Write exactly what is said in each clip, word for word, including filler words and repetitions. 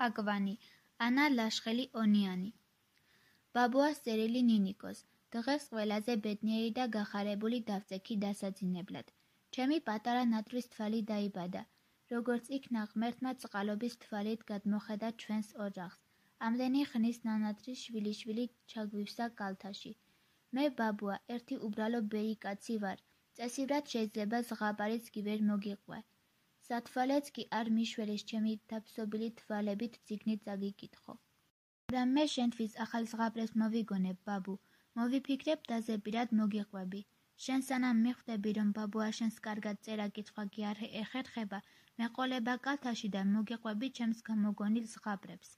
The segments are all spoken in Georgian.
აკვანი, ანა ლაშხელი ონიანი. ბაბუას წერილი ნინიკოს. დღეს ყველაზე ბედნიერი და გახარებული დავწექი დასაძინებლად. ჩემი პატარა ნატრის თვალი დაიბადა. როგორც იქნა ღმერთმა წყალობის თვალით გადმოხედა ჩვენს ოჯახს. ამდენი ხნის ნანატრის შვილიშვილი ჩაგვივსა კალთაში. მე ბაბუა, ერთი უბრალო ბერი კაცი ვარ. წესივრად შეიძლება ზღაპარიც კი ვერ მოგიყვე. სათვალეც კი არ მიშვერის ჩემი დაფსობილი თვალებით წიგნით წაგიკითხო. მაგრამ მე შენთვის ახალ ზღაპრებს მოვიგონებ, ბაბუ. მოვიფიქრებ დაზეპირად მოგიყვები. შენ სანამ მიხვდები, რომ ბაბუა შენს კარგად წერა-კითხვა კი არ ეხერხება, მეყოლება კალთაში და მოგიყვები ჩემს გამოგონილ ზღაპრებს.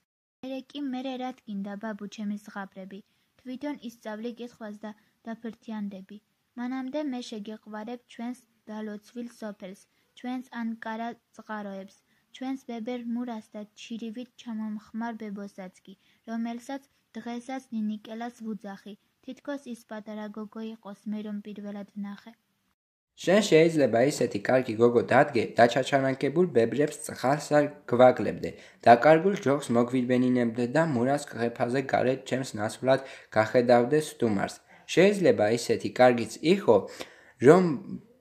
მერე კი მერე რა თქინდა, ბაბუ, ჩემი ზღაპრები. თვითონ ისწავლი კითხვას და დაფრთიანდები. მანამდე მე შეგეყვარებ ჩვენს დალოცვილ სოფელს, ჩვენს ანკარა წყაროებს, ჩვენს ბებერ მურას და ჩირივით ჩამომხმარ ბებოსაც კი, რომელსაც დღესაც ნინიკელას ვუძახი. თითქოს ის პატარა გოგო იყოს, მე რომ პირველად ვნახე. შენ შეიძლება ისეთი კარგი გოგო დადგე, დაჩაჩანაკებულ ბებრებს წყალს არ გვაგლებდე, დაკარგულ ჯოხს მოგვიბენინებდე და მურას ყეფაზე გარეთ ჩემს ნაცვლად გახედავდე სტუმარს. შეიძლება ისეთი კარგიც იყო, რომ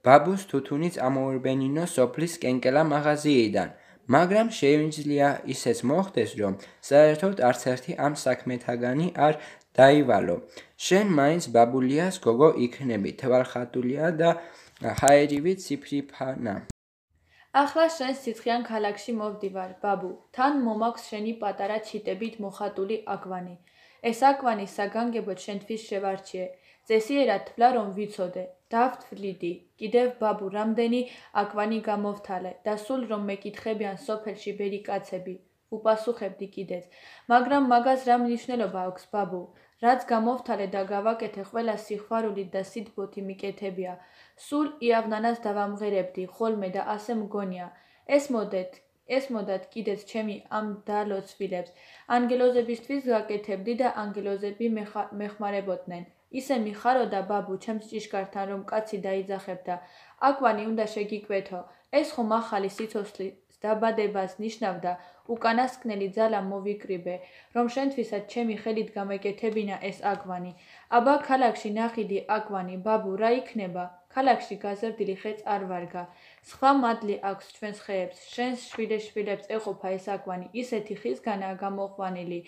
ბაბუს თუთუნიც ამოურბენინო სოფლის კენკელა მაღაზიიდან, მაგრამ შეუძლია ისეც მოხდეს, რომ საერთოდ არც ერთი ამ საქმეთაგანი არ დაივალო. შენ მაინც ბაბულიას გოგო იქნები, თვალხატულია და ჰაერივი ციფრიფანა. ახლა შენ სიცხიან ქალაქში მოვდივარ, ბაბუ. თან მომაქვს შენი პატარა ჩიტებით მოხატული აკვანი. ეს აკვანი საგანგებოდ შენთვის შევარჩიე. წესიერად თვლა რომ ვიცოდე. დავთვლიდი. კიდევ ბაბუ, რამდენი აკვანი გამოვთალე და სულ რომ მეკითხებიან სოფელში ბერი კაცები. უპასუხებდი კიდეც. მაგრამ მაგას რა მნიშვნელობა აქვს, ბაბუ? რაც გამოვთალე და გავაკეთე ყველა სიხვარულით და სიტბოთი მიკეთებია. სულ იავნანას დავამღერებდი ხოლმე და ასე მგონია. ეს მოდეთ, ეს მოდათ კიდეც ჩემი ამ დალოცვილებს. ანგელოზებისთვის გაკეთებდი და ანგელოზები მეხმარებოდნენ. ისე მიხაროდა ბაბუ ჩემს ჭიშკართან რომ კაცი დაიძახებდა. აკვანი უნდა შეგიკვეთო. ეს ხომ ახალი სიცოცხლის დაბადებას ნიშნავდა. უკანასკნელი ძალა მოვიკრიბე, რომ შენთვისაც ჩემი ხელით გამეკეთებინა ეს აკვანი. აბა ქალაქში ნახიდი აკვანი, ბაბუ, რა იქნება? ქალაქში გაზრდილი ხეც არ ვარგა. სხვა მადლი აქვს ჩვენს ხეებს, შენს შვილეშვილებს ეყოფა ეს აკვანი, ისეთი ხისგანაა გამოყვანილი.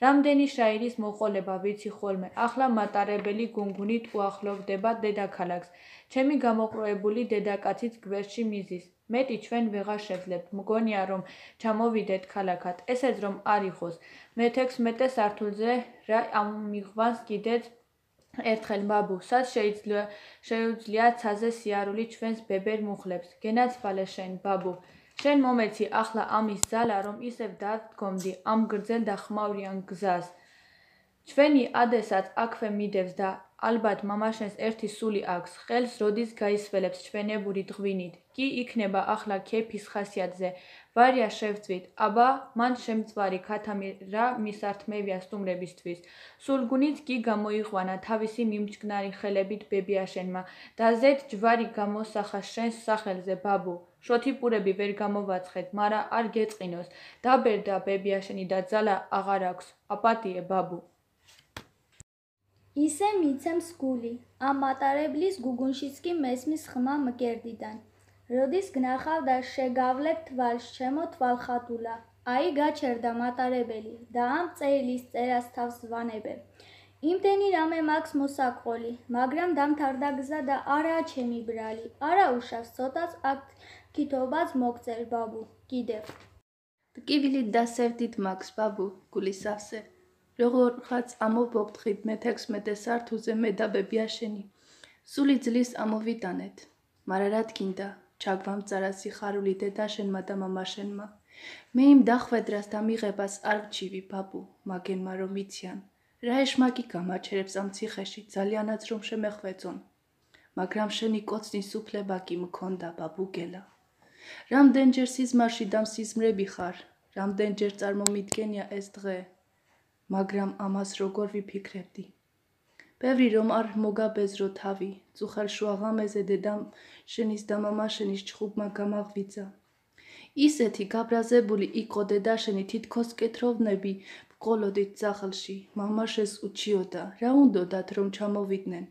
რამდენი შაირის მოყოლება ვიცი ხოლმე, ახლა მატარებელი გუნგუნით უახლოვდება დედაქალაქს. ჩემი გამოყროებული დედაკაციც გვერდში მიზის. მეტი ჩვენ ვეღარ შევძლებთ, მგონია რომ ჩამოვიდეთ ქალაქად, ესეც რომ არ იყოს. მეთექვსმეტე სართულზე რა ამიღვანს კიდეც ერთხელ, ბაბუ, სად შეუძლია ცაზე სიარული ჩვენს ბებერ მუხლებს. გენაცვალე შენ, ბაბუ. შენ მომეცი ახლა ამის ძალა, რომ ისევ დადგომდი ამ გრძელ და ხმაურიან გზას. ჩვენი ადესაც აქვე მიდევს და ალბათ მამაშენს ერთი სული აქვს, ხელს როდის გაისველებს ჩვენებური დღვინით. კი იქნება ახლა ქეფის ხასიათზე. ვარია შევწვით, აბა მან შემწვარი ქათამი რა მისართმევია სტუმრებისთვის. სულგუნით კი გამოიყვანა თავისი მიმჩკნარი ხელებით ბებიაშენმა და ზედ ჯვარი გამოსახა შენს სახელზე, ბაბუ. შოთიპურები ვერ გამოვაცხეთ, მარა არ გეწყინოს. დაბერდა ბებიაშენი და ძალა აღარ აქვს. აპატიე, ბაბუ. ისე მიცემს გული, ამ მატარებლის გუგუნშიც კი მესმის ხმა მკერდიდან. როდის გნახავ და შეგავლებ თვალს, ჩემო თვალხატულა. აი გაჩერდა მატარებელი და ამ წერილის წერას თავს ვანებე. იმდენი რამე მაქვს მოსაყოლი, მაგრამ დამთავრდა გზა და არაა ჩემი ბრალი. არა უშავს ცოტაც აქ კითობაც მოგწერ, ბაბუ, კიდევ. ტკივილით დასევდით მაქვს, ბაბუ, გულისავსე. როგორღაც ამოვბობთხით მეთექვსმეტე სართულზე მე და ბებიაშენი. სული ძლის ამოვიტანეთ. მარა რა თქინდა, ჩაგვამწარა სიხარული დედაშენმა და მამაშენმა. მე იმ დახვედრას და მიღებას არ ვჩივი, ბაბუ, მაგენმა რომ იციან. რა ეშმაკი გამაჩერებს ამ ციხეში, ძალიანაც რომ შემეხვეწონ. მაგრამ შენი კოცნის უფლება კი მქონდა, ბაბუგელა. რამდენჯერ სიზმარში და მსიზმრები ხარ, რამდენჯერ წარმომიდგენია ეს დღე. მაგრამ ამას როგორ ვიფიქრებდი. ბევრი რომ არ მოგაბეზრო თავი, წუხელ შუაღამეზე დედამ შენის და მამაშენის ჩხუბმა გამაღვიძა. ისეთი გაბრაზებული იყო დედაშენი, თითქოს კეთოვნები ვყოლოდით ძახილში. მამაშენს უჩიოდა, რა უნდოდათ რომ ჩამოვიდნენ.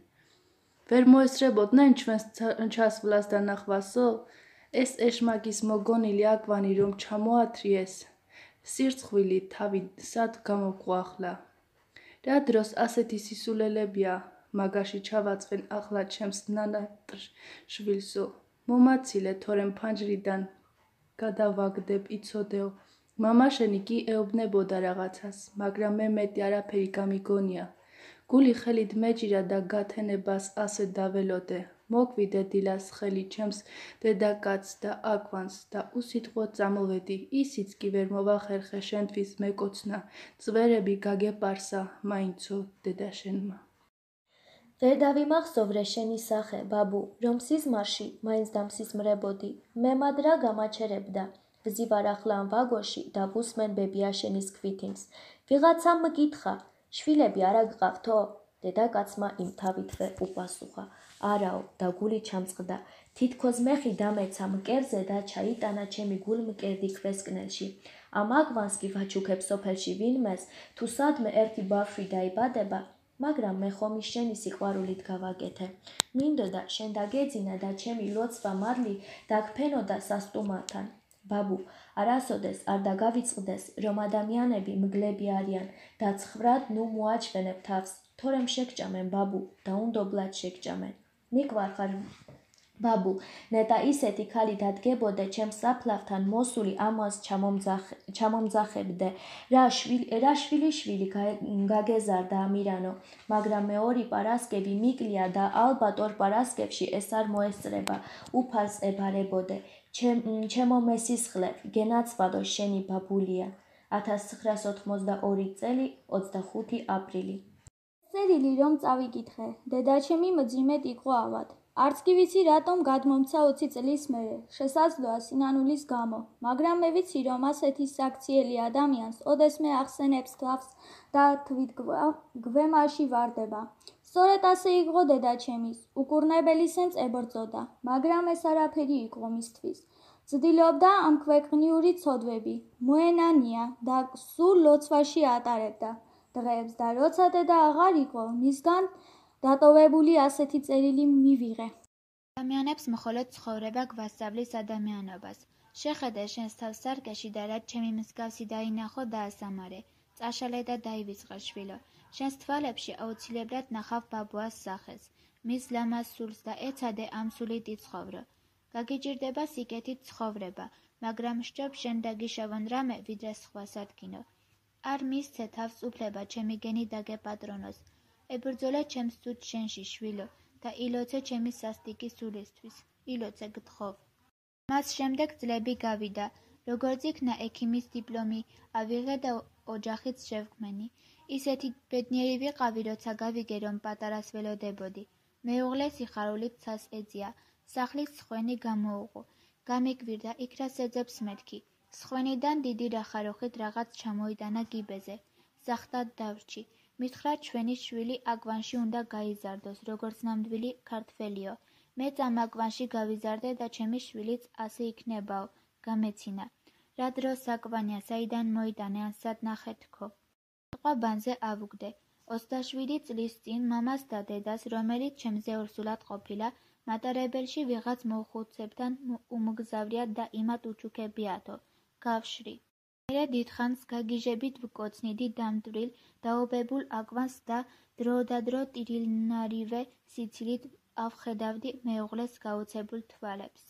ვერ მოესწრებოდნენ ჩვენს ჩასვლას და ნახვასო? ეს ეშმაკის მოგონილი აკვანი რომ ჩამოათრიეს, სირცხვილი თავი სად გამოგვახლა? რა დროს ასეთი სისულელებია მაგაში ჩავაწვენ ახლა ჩემს ნანატრშვილსო? მომაცილე, თორემ ფანჯრიდან გადავაგდებ იცოდეო. მამაშენი კი ეუბნებოდა რაღაცას, მაგრამ მე მეტი არაფერი გამიგონია. გული ხელით მეჭირა და გათენებას ასე დაველოდე. მოგვიდე დილას ხელი ჩემს დედაკაცს და აკვანს და უსიტყვოდ წამოვედი. ისიც კი ვერ მოვახერხე შენთვის მეკოცნა, წვერები გაგეპარსა მაინცო დედაშენმა. ვერ დავიმახსოვრე შენი სახე, ბაბუ, რომ სიზმარში მაინც დამსიზმრებოდი. მემად რა გამაჩერებდა. ვზივარ ახლა ამ ვაგონში და ვუსმენ ბებიაშენის ქვითინს. ვიღაცამ მკითხა, შვილები არა გყავთო? დედაკაცმა იმ თავითვე უპასუხა. არაო, და გული ჩამწყდა. თითქოს მეხი დამეცა მკერზე და ჩაიტანა ჩემი გულმკერდი ქვესკნელში. ამ აკვანს კი ვაჩუქებ სოფელში ვინმეს, თუ სადმე ერთი ბავშვი დაიბადება, მაგრამ მე ხომ ის შენი სიყვარულით გავაკეთე. მინდოდა შენ დაგეძინა და ჩემი ლოცვა მარლი დაგფენოდა სასტუმართან. ბაბუ, არასოდეს არ დაგავიწყდეს, რომ ადამიანები მგლები არიან და ცხრად ნუ მოაჩვენებ თავს, თორემ შეგჭამენ ბაბუ, დაუნდობლად შეგჭამენ. მიყვარხარ ბაბუ, ნეტა ისეთი ქალი დადგებოდე ჩემს საფლავთან მოსული ამას ჩამომძახებდე, რა შვილი შვილი გაგეზარდა ამირანო, მაგრამ მე ორი პარასკევი მიკლია და ალბათ ორ პარასკევში ეს არ მოესწრება, უფალს ებარებოდე. ჩემო მესისხლე, გენაცვალო შენი ბაბულია. ათას ცხრაას ოთხმოცდაორი წელი, ოცდახუთი აპრილი. წერილი რომ წავიკითხე, დედაჩემი მძიმედ იყო ავად. არც კი ვიცი რატომ გადმომცა ოცი წლის მერე, შესაძლოა სინანულის გამო, მაგრამ მე ვიცი რომ ასეთი საქციელი ადამიანს ოდესმე ახსენებს თავს და თვით გვემაში ვარდება. სწორედ ასე იყო დედაჩემის, უკურნებელი სენს ებრძოდა, მაგრამ ეს არაფერი იყო მისთვის. ცდილობდა ამ ქვეყნიური ცოდვები, მოენანია და სულ ლოცვაში ატარებდა დღეებს და როცა დედა აღარ იყო, მისგან დატოვებული ასეთი წერილი მივიღე. ადამიანებს მხოლოდ ცხოვრება გვასწავლის ადამიანობას. შეხედე შენს თავს სარკეში და რაც ჩემი მსგავსი დაინახო და ასამარე. წაშალე და დაივიწყე შვილო. შენს თვალებში აუცილებლად ნახავ ბაბუას სახეს. მის ლამაზ სულს და ეცადე ამ სულით იცხოვრო. გაგიჭირდება სიკეთით ცხოვრება, მაგრამ სჯობ შენ დაგიშავონ რამე, ვიდრე სხვას ადგინო. არ მისცე თავს უფლება ჩემი გენი დაგეპატრონოს. ებრძოლე ჩემს ცუდ შენში შვილო და ილოცე ჩემი სასტიკი სულისთვის. ილოცე გთხოვ. მას შემდეგ წლები გავიდა, როგორც იქნა ექიმის დიპლომი, ავიღე და ოჯახიც შევქმენი. ისეთი ბედნიერი ვიყავი, როცა გავიგე, რომ პატარას ველოდებოდი. მეუღლე სიხარულით ცას ეძია. სახლის სხვენი გამოუღო. გამიკვირდა იქ რა სეძებს მეთქი. სხვენიდან დიდი რახაროხით რაღაც ჩამოიტანა გიბეზე. ზახტად დავრჩი. მითხრა ჩვენი შვილი აკვანში უნდა გაიზარდოს, როგორც ნამდვილი ქართველიო. მეც ამ აკვანში გავიზარდე და ჩემი შვილიც ასე იქნებაო, გამეცინა. რა დროს აკვანია, საიდან მოიტანე ან სად ნახე თქო. ყვაბანზე ავუგდე. ოცდაშვიდი წლის წინ მამას და დედას, რომელიც ჩემზე ორსულად ყოფილა, მატარებელში ვიღაც მოხუცებთან უმგზავრიათ და იმათ უჩუქებიათო. გავშრი. მერე დიდხანს გაგიჟებით ვკოცნიდი დამტვრილ, დაობებულ აკვანს და დროდადრო ტირილნარივე სიცილით ავხედავდი მეუღლეს გაუცებულ თვალებს.